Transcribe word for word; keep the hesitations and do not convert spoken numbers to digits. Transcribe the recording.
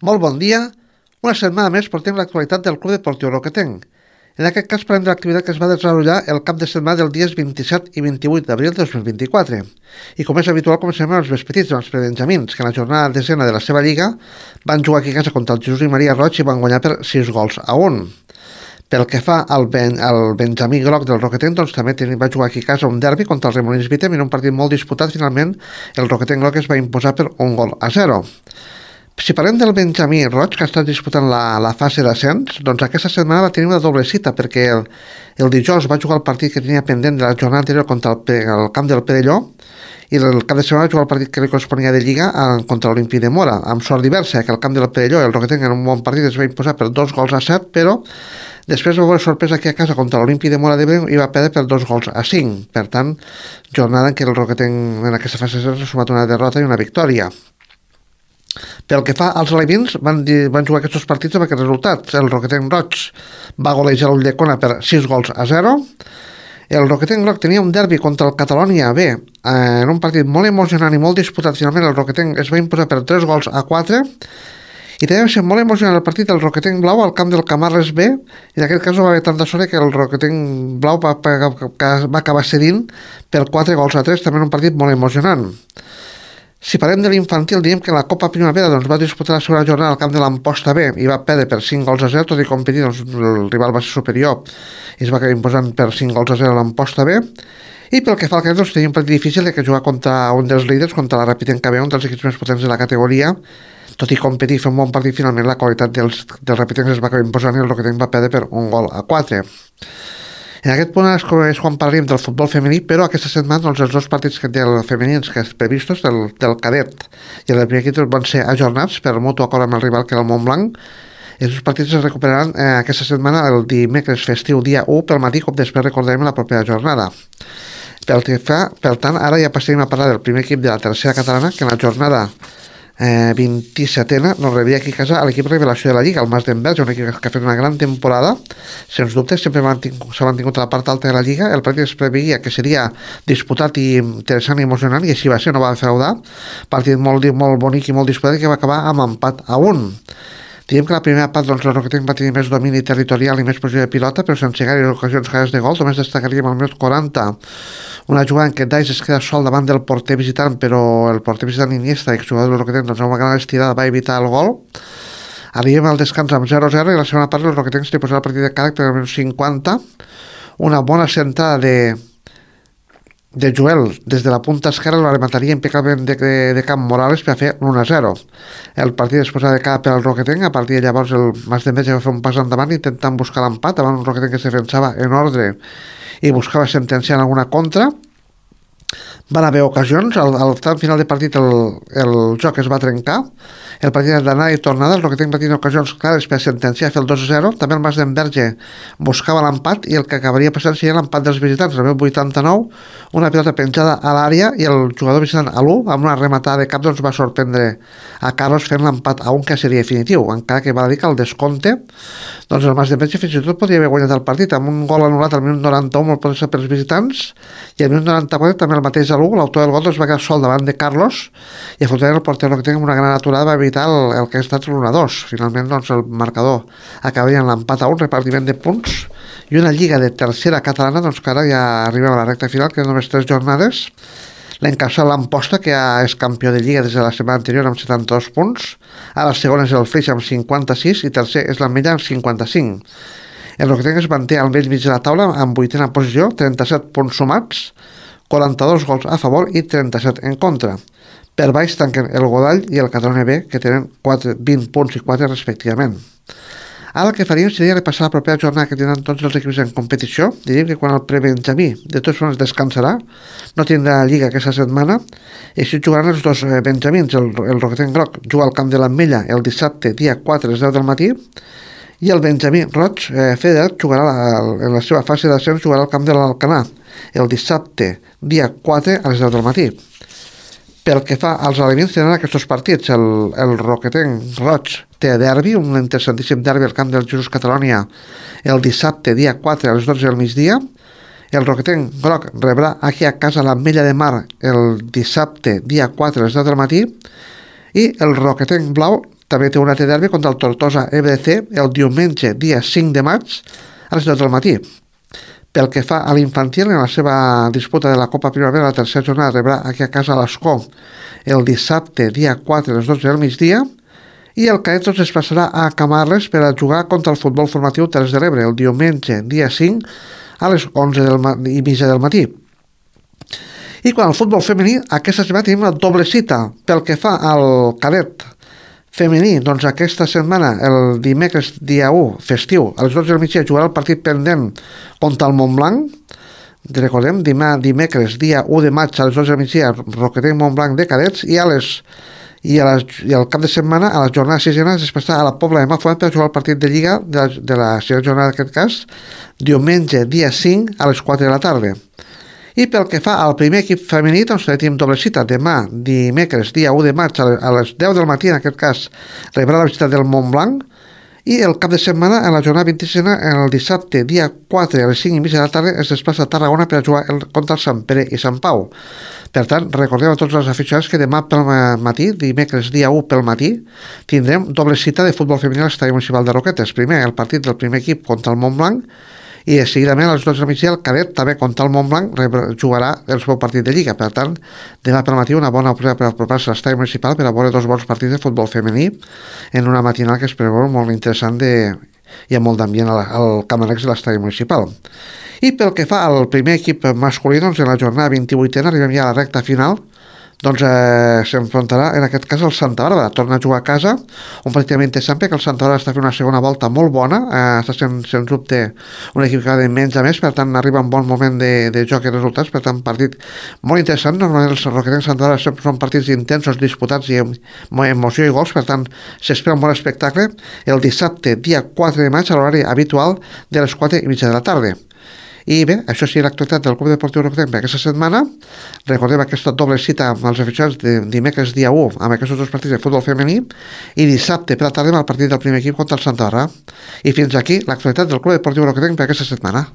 Molt bon dia. Una setmana més portem l'actualitat del Club Deportiu Roquetenc. En aquest cas parlem de l'activitat que es va desenvolupar el cap de setmana dels dies vint-i-set i vint-i-vuit d'abril de dos mil vint-i-quatre. I com és habitual, comencem amb els més petits, amb els prebenjamins, que en la jornada desena de la seva lliga van jugar aquí a casa contra el Jesús i Maria Roig i van guanyar per sis gols a un. Pel que fa al, ben, al Benjamí Groc del Roquetenc, doncs també ten, va jugar aquí a casa un derbi contra el Remolins Vitem i en un partit molt disputat, finalment el Roquetenc Groc es va imposar per un gol a zero. Si parlem del Benjamí Roig, que està disputant la, la fase d'ascens, doncs aquesta setmana va tenir una doble cita, perquè el, el dijous va jugar el partit que tenia pendent de la jornada anterior contra el, el camp del Perelló, i el cap de setmana va jugar el partit que li corresponia de Lliga en, contra l'Olimpí de Mora, amb sort diversa, que el camp del Perelló, el Roquetenc en un bon partit es va imposar per dos gols a set, però després va veure sorpresa aquí a casa contra l'Olimpí de Mora d'Ebre i va perdre per dos gols a cinc. Per tant, jornada en què el Roquetenc en aquesta fase d'ascens ha sumat una derrota i una victòria. Pel que fa als alevins, van, van jugar aquests partits amb aquests resultats. El Roquetenc Roig va golejar l'Ulldecona per sis gols a zero. El Roquetenc Groc tenia un derbi contra el Catalonia B, en un partit molt emocionant i molt disputat. Finalment el Roquetenc es va imposar per tres gols a quatre. I també va ser molt emocionant el partit del Roquetenc Blau al camp del Camarles B, i en aquest cas va haver tanta sort que el Roquetenc Blau va, va acabar cedint per quatre gols a tres, també en un partit molt emocionant. Si parlem de l'infantil, diem que la Copa Primavera doncs, va disputar la segona jornada al camp de l'Amposta B i va perdre per cinc gols a zero, tot i competir, doncs, el rival va ser superior i es va acabar imposant per cinc gols a zero a l'Amposta B. I pel que fa al que doncs, tenia un partit difícil de que jugar contra un dels líders, contra la Rapitenca B, un dels equips més potents de la categoria. Tot i competir i fer un bon partit, finalment la qualitat dels, dels Rapitencs es va acabar imposant i el Roquetenc va perdre per un gol a quatre. En aquest punt és quan parlem del futbol femení, però aquesta setmana doncs, els dos partits del femenins que és previstos, del, del cadet i el primer equip, van ser ajornats per mutu acord amb el rival que era el Montblanc. I els partits es recuperaran eh, aquesta setmana el dimecres festiu dia u pel matí, com després recordarem la propera jornada. Pel que fa, per tant, ara ja passarem a parlar del primer equip de la tercera catalana, que en la jornada Eh, vint-i-setena nos rebia aquí a casa a l'equip revelació de la Lliga, el Mas d'Enverge, un equip que ha fet una gran temporada, sens dubte sempre s'ha mantingut a la part alta de la Lliga. El partit es preveia que seria disputat i interessant i emocionant, i així va ser, no va defraudar. Partit molt, molt bonic i molt disputat, que va acabar amb empat a un. Diem que la primera part doncs, el Roquetenc va tenir més domini territorial i més posició de pilota, però sense gaire ocasions clares de gol. Només destacaríem al minut quaranta una jugada en què Dais es queda sol davant del porter visitant, però el porter visitant Iniesta, exjugador del Roquetenc, doncs, amb una gran estirada va evitar el gol. Arribem al descans amb zero a zero i la segona part el Roquetenc s'hi posarà el partit de caràcter al minut cinquanta. Una bona centrada de de Joel des de la punta esquerra la remataria impecablement de, de, de Camp Morales per a fer l'un a zero. El partit es posa de cara per al Roquetenc. A partir de llavors el Mas d'Enverge va fer un pas endavant intentant buscar l'empat davant un Roquetenc que es defensava en ordre i buscava sentenciar en alguna contra. Van haver ocasions, al, al tram final de partit el, el joc es va trencar, el partit d'anada i tornada, el Roquetenc va tenir ocasions clares per sentenciar, fer el dos a zero, també el Mas d'Enverge buscava l'empat i el que acabaria passant seria l'empat dels visitants, el vuitanta-nou, una pilota penjada a l'àrea i el jugador visitant a l'u, amb una rematada de cap, doncs va sorprendre a Carlos fent l'empat a un que seria definitiu, encara que va dir que el descompte, doncs el Mas d'Enverge fins i tot podria haver guanyat el partit amb un gol anul·lat al minut noranta-u molt potser pels visitants, i al minut noranta-quatre també el mateix a l'u, l'autor del gol doncs, va quedar sol davant de Carlos i afortunadament el porter que tenia una gran aturada va evitar el, el que ha estat l'un a dos. Finalment doncs, el marcador acabaria en l'empat a un, repartiment de punts i una lliga de tercera catalana doncs, que ara ja arribem a la recta final, que només tres jornades. L'encapçala l'Amposta, que ja és campió de lliga des de la setmana anterior amb setanta-dos punts. A la segona és el Flix amb cinquanta-sis i tercer és l'Ametlla amb cinquanta-cinc. El Roquetenc es manté al mig mig de la taula amb vuitena posició, trenta-set punts sumats, quaranta-dos gols a favor i trenta-set en contra. Per baix tanquen el Godall i el Catalonia B, que tenen quatre, vint punts i quatre respectivament. Ara el que faríem seria repassar la propera jornada que tindran tots els equips en competició. Diríem que quan el prebenjamí de tots formes descansarà, no tindrà lliga aquesta setmana, i així jugaran els dos benjamins. El, el Roquetenc Groc juga al camp de l'Ametlla el dissabte, dia quatre a les deu del matí, i el Benjamí Roig eh, Federat jugarà la, en la seva fase d'ascens jugarà al camp de l'Alcanar el dissabte, dia quatre a les deu del matí. Pel que fa als alevins, tenen aquests partits. El, el Roquetenc Roig té derbi, un interessantíssim derbi al camp del Jesús Catalonia el dissabte, dia quatre a les dotze del migdia. El Roquetenc Groc rebrà aquí a casa l'Ametlla de Mar el dissabte, dia quatre a les deu del matí. I el Roquetenc Blau també té un altre derbi contra el Tortosa E B C el diumenge, dia cinc de maig, a les deu del matí. Pel que fa a l'infantil, en la seva disputa de la Copa Primavera, la tercera jornada rebrà aquí a casa a l'Escó el dissabte, dia quatre, a les dotze del migdia, i el cadet es desplaçarà a Camarles per a jugar contra el futbol formatiu Terres de l'Ebre el diumenge, dia cinc, a les onze del i mitja del matí. I quan al futbol femení, aquesta setmana tenim una doble cita. Pel que fa al cadet femení, doncs aquesta setmana, el dimecres dia u, festiu, a les dotze del migdia, jugarà el partit pendent contra el Montblanc. Recordem, dimà, dimecres, dia u de maig, a les dotze del migdia, Roquetenc Montblanc de cadets, i a les i, a les, i al cap de setmana, a la jornada sisena, es desplaçarà a la Pobla de Mafumet per jugar el partit de Lliga de la, de la sisena jornada d'aquest cas, diumenge, dia cinc, a les quatre de la tarda. I pel que fa al primer equip femení, doncs tenim doble cita. Demà, dimecres, dia u de maig, a les deu del matí, en aquest cas, rebrà la visita del Montblanc, i el cap de setmana, en la jornada vint-i-sisena, el dissabte, dia quatre, a les cinc i mitja de la tarda, es desplaça a Tarragona per a jugar el, contra el Sant Pere i Sant Pau. Per tant, recordeu a tots els aficionats que demà pel matí, dimecres dia u pel matí, tindrem doble cita de futbol femení a l'estadi municipal de Roquetes. Primer, el partit del primer equip contra el Montblanc, i seguidament a les dotze del migdia el cadet també contra el Montblanc jugarà el seu partit de Lliga. Per tant, demà pel matí una bona oportunitat per apropar-se a l'estadi municipal per a veure dos bons partits de futbol femení en una matinal que es preveu molt interessant de... hi ha molt d'ambient al, al camp annex de l'estadi municipal. I pel que fa al primer equip masculí, doncs en la jornada vint-i-vuitena arribem ja a la recta final, doncs eh, s'enfrontarà en aquest cas el Santa Bàrbara, torna a jugar a casa, un partit interessant perquè el Santa Bàrbara està fent una segona volta molt bona, eh, està sent, sens dubte un equip que va de menys a més, per tant arriba un bon moment de, de joc i resultats, per tant partit molt interessant. Normalment els Roquetencs Santa Bàrbara sempre són partits intensos, disputats i amb emoció i gols, per tant s'espera un bon espectacle el dissabte, dia quatre de maig, a l'horari habitual de les quatre i mitja de la tarda. I bé, això sí, l'actualitat del Club Deportiu Roquetenc per aquesta setmana. Recordem aquesta doble cita amb els aficionats de dimecres dia u amb aquests dos partits de futbol femení i dissabte per la tarda amb el partit del primer equip contra el Santa Bàrbara. I fins aquí l'actualitat del Club Deportiu Roquetenc per aquesta setmana.